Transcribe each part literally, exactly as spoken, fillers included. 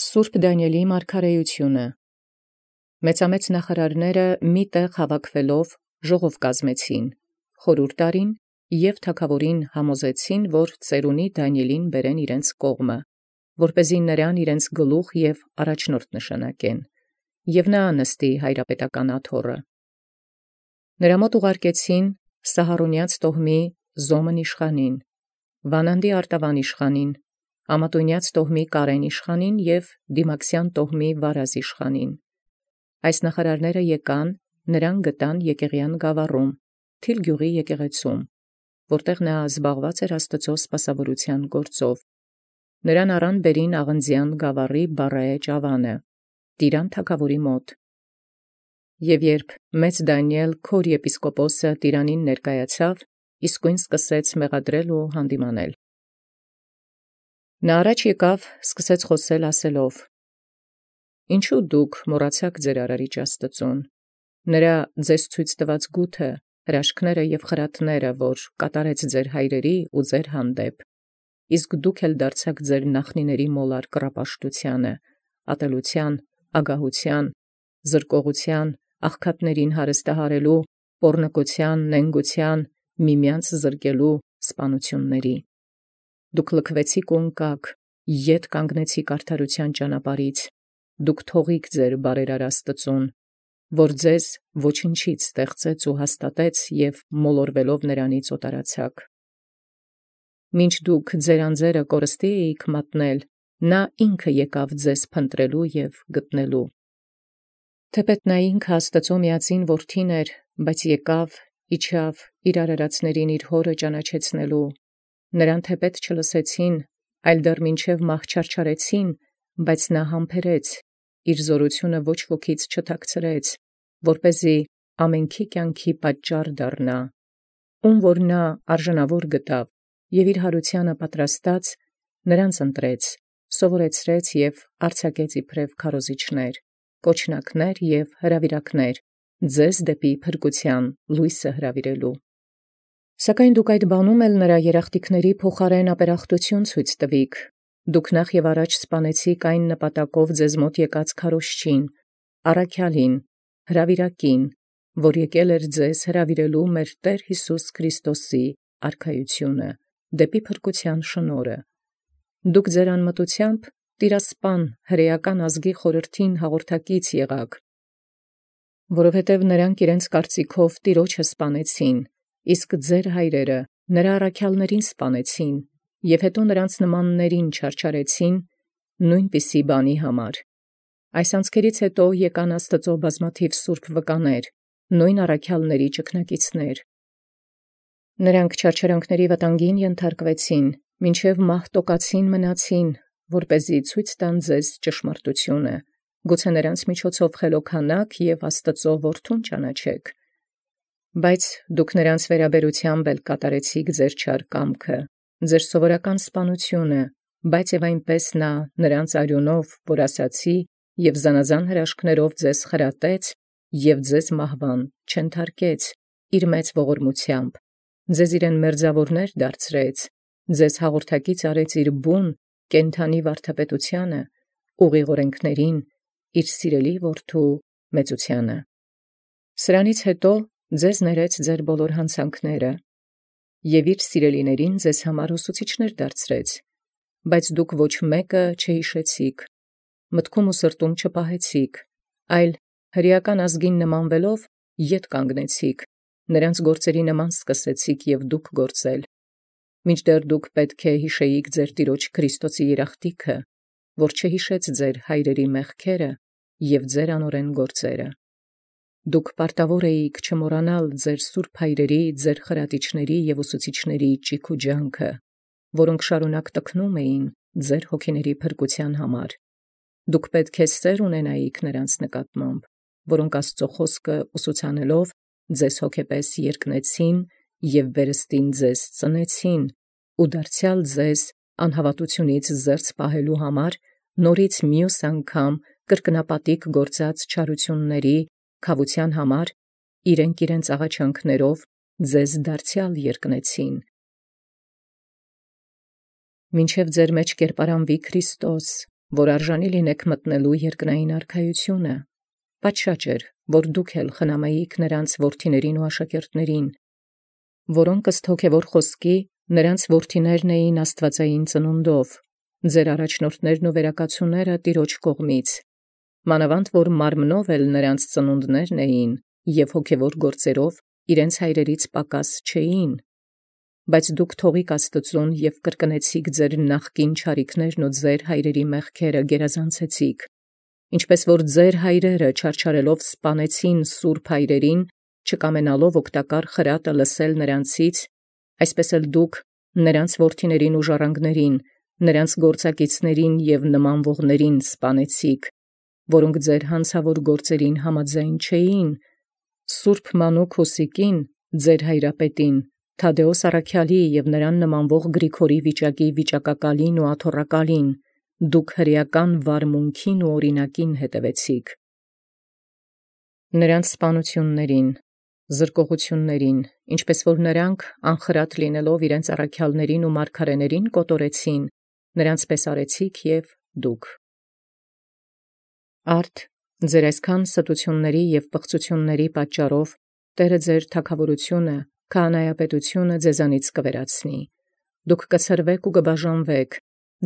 Սուրբ Դանիէլի մարգարեութիւնը։ Մեծամեծ նախարարացն մի տեղ հաւաքեալք ժողով կազմեցին, խորհուրդ արին և թագաւորին համոզեցին, որ ծերունի Դանիէլին բերեն իրենց կողմը, որպեսզի նրան իրենց գլուխ և առաջնորդ նշանակեն, և նա նստի հայրապետական աթոռը։ Նրա մոտ ուղարկեցին Սահարոնեաց տոհմի Զոմն իշխանին, Վանանդի արտավան իշխանին, Ամատունեաց տոհմի Կարեն իշխանին և Դիմաքսյան տոհմի Վարազ իշխանին։ Այս նախարարները եկան, նրան գտան Եկեղեան գաւառում, Թիլ գիւղի եկեղեցում, որտեղ նա զբաղված էր Աստուծոյ սպասաւորութեան գործով։ Նրան առան բերին Աղնձեան գաւառի Բառայէջ ավանը, Տիրան թագաւորի մոտ։ Եւ երբ մեծ Դանիէլ քոր եպիսկոպոսը Տիրանին ներկայացավ, իսկոյն սկսեց մեղադրել ու հանդիմանել։ Նա առաջ եկավ, սկսեց խոսել ասելով. «Ինչու դուք մոռացաք ձեր արարիչ Աստուծոյ, նրա ձեզ ցույց տուած գութը, հրաշքները և խրատները, որ կատարեց ձեր հայրերի ու ձեր հանդեպ, իսկ դուք էլ դարձաք ձեր նախնիների մոլար կռապաշտութեանը, ատելութեան, ագահութեան, զրկողութեան, աղքատներին հարստահարելու, պոռնկութեան, նենգութեան, միմյանց զրկելու սպանութիւնների։ Դուք լքվեցիք ու ընկաք, ետ կանգնեցիք արդարութեան ճանապարհից, դուք թողիք ձեր բարերար Աստուծոյ, որ ձեզ ոչնչից ստեղծեց ու հաստատեց և մոլորվելով նրանից օտարացաք։ Մինչ դուք ձեր անձերը կորստի էիք մատնել, նա ինքը եկավ ձեզ փնտրելու և գտնելու։ Թեպետ նա ինքը Աստուծոյ միածին որդին էր, բայց եկավ, իջավ իր արարածներին իր հօրը ճանաչեցնելու։ Նրան թեպետ չլսեցին, այլ դեռ մինչև մահ չարչարեցին, բայց նա համբերեց, իր զօրութիւնը ոչ ոքից չթաքցրեց, որպեսզի ամենքի կյանքի պատճառ դառնա, ում որ նա արժանաւոր գտավ, և իր յարութեանը պատրաստած նրանց ընտրեց, սովորեցրեց և արձակեց իբրև քարոզիչներ, կոչնակներ և հրաւիրակներ, ձեզ դեպի փրկութեան լույսը հրավիրելու։ Սակայն դուք այդ բանում էլ նրա երախտիկների փոխարեն ապերախտութիւն ցույց տուիք, դուք նախ և առաջ սպանեցիք այն նպատակով ձեզ մոտ եկած քարոզչին, առաքեալին, հրաւիրակին, որ եկել էր ձեզ հրավիրելու մեր Տէր Յիսուս Քրիստոսի արքայութիւնը, դեպի փրկութեան շնորհը։ Դուք ձեր անմտութեամբ տիրասպան հրեական ազգի խորհրդին հաղորդակից եղաք, որովհետև նրանք իրենց կարծիքով Տիրոջը սպանեցին, իսկ ձեր հայրերը նրա առաքեալսն սպանեցին, և հետո նրանց նմաններին չարչարեցին նոյնպիսի բանի համար։ Այս անցքերից հետո եկան Աստուծոյ բազմաթիւ սուրբ վկաներ, նոյն առաքեալսն ճգնակիցներ։ Նրանք չարչարանքների վտանգին ենթարկվեցին, մինչև մահ տոկացին մնացին, որպեսզի ցույց տան ձեզ ճշմարտութիւնը, գուցե նրանց միջոցով խելոքանաք և Աստուծոյ որդուն ճանաչիք։ Բայց դուք նրանց վերաբերութեամբ էլ կատարեցիք ձեր չար կամքը, ձեր սովորական սպանութիւնը, բայց և այնպես նա նրանց արիւնով, որ ասացի, և զանազան հրաշքներով ձեզ խրատեց և ձեզ մահվան չենթարկեց իր մեծ ողորմութեամբ, ձեզ իրեն մերձաւորներ դարձրեց, ձեզ հաղորդակից արեց իր բուն կենդանի վարդապետութեանը, ուղիղ օրենքներին, իր սիրելի որդու մեծութեանը։ Սրանից հետո ձեզ ներեց ձեր բոլոր յանցանքները, և իր սիրելիներին ձեզ համար ուսուցիչներ դարձրեց, բայց դուք ոչ մեկը չհիշեցիք, մտքում ու սրտում չպահեցիք, այլ հրեական ազգին նմանվելով ետ կանգնեցիք, նրանց գործերի նման սկսեցիք և դուք գործել, մինչդեռ դուք պետք է յիշեիք ձեր Տիրոջ Քրիստոսի երախտիքը, որ չհիշեց ձեր հայրերի մեղքերը և ձեր անօրեն գործերը։ Դուք պարտավոր էիք չմոռանալ ձեր սուրբ հայրերի, ձեր խրատիչների և ուսուցիչների ճիգ ու ջանքը, որոնք շարունակ տքնում էին ձեր հոգիների փրկութեան համար։ Դուք պետք է սեր ունենայիք նրանց նկատմամբ, որոնք Աստուծոյ խոսքը ուսուցանելով ձեզ հոգեպես երկնեցին և վերստին ձեզ ծնեցին, ու դարձեալ ձեզ անհավատութիւնից զերծ պահելու համար նորից մյուս անգամ կրկնապատիկ գործած չարութիւնների քաւութեան համար իրենք իրենց աղաչանքներով ձեզ դարձեալ երկնեցին։ Մինչև ձեր մեջ կերպարանվի Քրիստոս, որ արժանի լինեք մտնելու երկնային արքայությունը։ Պատշաճ էր, որ դուք էլ խնամեիք նրանց որդիներին ու աշակերտներին, որոնք ըստ հոգևոր խոսքի նրանց որդիներն էին աստվածային ծնունդով, ձեր առաջնորդներն ու վերակացուները Տիրոջ կողմից, մանավանդ որ մարմնով էլ նրանց ծնունդներն էին և հոգևոր գործերով իրենց հայրերից պակաս չէին, բայց դուք թողիք Աստծուն և կրկնեցիք ձեր նախկին չարիքներն ու ձեր հայրերի մեղքերը գերազանցեցիք, ինչպես որ ձեր հայրերը չարչարելով սպանեցին սուրբ հայրերին, չկամենալով օգտակար խրատը լսել նրանցից, այսպես էլ դուք նրանց որդիներին ու ժառանգներին, նրանց գործակիցներին և նմանվողներին սպանեցիք, որոնք ձեր հանցավոր գործերին համաձայն չէին, սուրբ մանուկ Հուսիկին, ձեր հայրապետին, Թադէոս առաքյալի և նրան նմանվող Գրիգորի վիճակի վիճակակալին ու աթոռակալին, դուք հրեական վարմունքին ու օրինակին հետևեցիք։ Նրանց սպանություններին, զրկողություններին, ինչպես որ նրանք անխրատ լինելով իրենց առաքյալներին ու մարգարեներին կոտորեցին, նրանցպես արեցիք և դուք։ Արդ ձեր այսքան ստությունների և պղծությունների պատճառով Տերը ձեր թագավորությունը, քահանայապետությունը ձեզանից կվերացնի, դուք կցրվեք ու կբաժանվեք,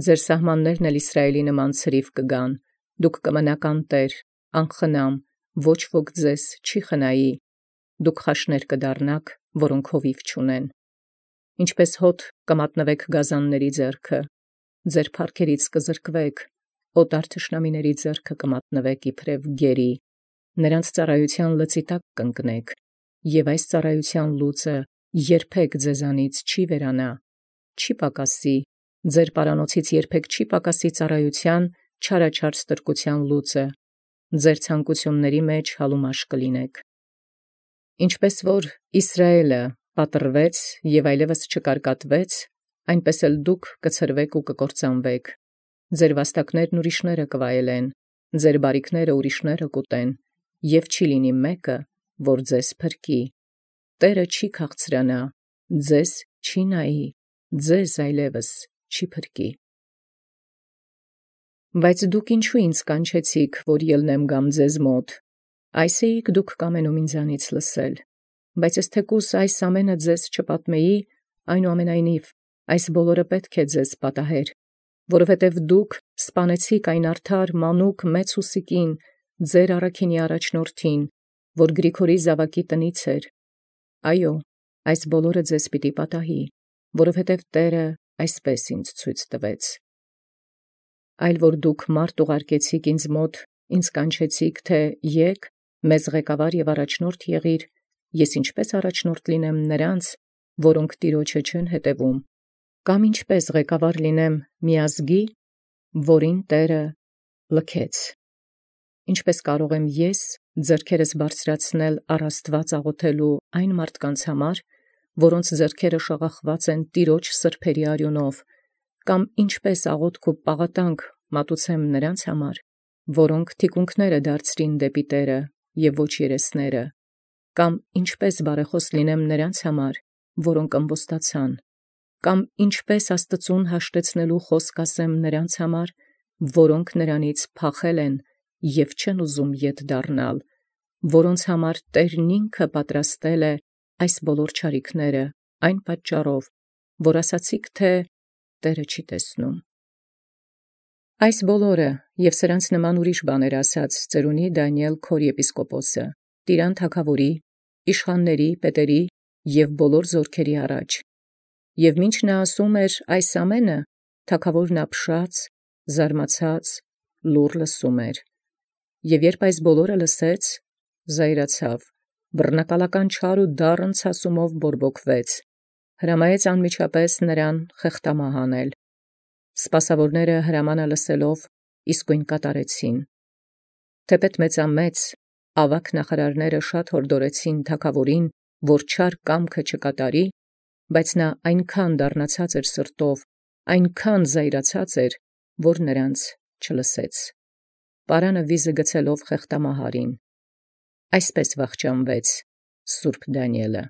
ձեր սահմաններն էլ Իսրայելի նման ցրիվ կգան, դուք կմնաք անտեր, անխնամ, ոչ ոք ձեզ չի խնայի, դուք խաշներ կդառնաք, որոնք հովիվ չունեն, ինչպես հոտ կմատնվեք գազանների ձեռքը, ձեր փառքերից կզրկվեք, օտար թշնամիների ձեռքը կմատնվեք իբրև գերի, նրանց ծառայության լծի տակ կընկնեք, և այս ծառայության լուծը երբեք ձեզանից չի վերանա, չի պակասի, ձեր պարանոցից երբեք չի պակասի ծառայության չարաչար ստրկության լուծը, ձեր ցանկությունների մեջ հալումաշ կլինեք։ Ինչպես որ Իսրայելը պատռվեց և այլևս չկարկատվեց, այնպես էլ դուք կցրվեք ու կկործանվեք, ձեր վաստակներն ուրիշները կվայելեն, ձեր բարիքները ուրիշները կուտեն, և չի լինի մեկը, որ ձեզ փրկի, Տերը չի քաղցրանա, ձեզ չի նայի, ձեզ այլևս չի փրկի։ Բայց դուք ինչու ինձ կանչեցիք, որ ելնեմ գամ ձեզ մոտ, այս էիք դուք կամենում ինձանից լսել, բայց ես թեկուս այս ամենը ձեզ չպատմեի, այնուամենայնիվ այս բոլորը պետք է ձեզ պատահեր, որովհետև դուք սպանեցիք այն արդար մանուկ մեծ Հուսիկին, ձեր առաքինի առաջնորդին, որ Գրիգորի զավակի տնից էր, այո, այս բոլորը ձեզ պիտի պատահի, որովհետև Տերը այսպես ինձ ցույց տվեց։ Այլ որ դուք մարդ ուղարկեցիք ինձ մոտ, ինձ կանչեցիք, թե եկ, մեզ ղեկավար և առաջնորդ եղիր, ես ինչպես առաջնորդ լինեմ նրանց, որոնք Տիրոջը չեն հետևում, կամ ինչպես ղեկավար լինեմ մի ազգի, որին Տերը լքեց, ինչպես կարող եմ ես ձեռքերս բարձրացնել առ Աստված աղոթելու այն մարդկանց համար, որոնց ձեռքերը շաղախված են Տիրոջ սրբերի արյունով, կամ ինչպես աղոթք ու պաղատանք մատուցեմ նրանց համար, որոնք թիկունքները դարձրին դեպի Տերը և ոչ երեսները, կամ ինչպես բարեխոս լինեմ նրանց համար, որոնք ըմբոստացան, կամ ինչպես Աստծուն հաշտեցնելու խոսք ասեմ նրանց համար, որոնք նրանից փախել են և չեն ուզում ետ դառնալ, որոնց համար Տերն ինքը պատրաստել է այս բոլոր չարիքները, այն պատճառով, որ ասացիք, թե Տերը չի տեսնում։ Այս բոլորը և սրանց նման ուրիշ բաներ ասաց ծերունի Դանիել քոր եպիսկոպոսը, Տիրան թագավորի, իշխանների, պետերի և բոլոր զորքերի առաջ, և մինչ նա ասում էր այս ամենը, թագավորն ապշած, զարմացած, լուռ լսում էր, և երբ այս բոլորը լսեց, զայրացավ, բռնակալական չար ու դառն ցասումով բորբոքվեց, հրամայեց անմիջապես նրան խեղդամահ անել, սպասավորները հրամանը լսելով իսկույն կատարեցին, թեպետ մեծամեծ, ավագ նախարարները շատ հորդորեցին թագավորին, որ չար կամքը չկատարի, բայց նա այնքան դառնացած էր սրտով, այնքան զայրացած էր, որ նրանց չլսեց, պարանը վիզը գցելով խեղդամահ արին, այսպես վախճանվեց սուրբ Դանիելը։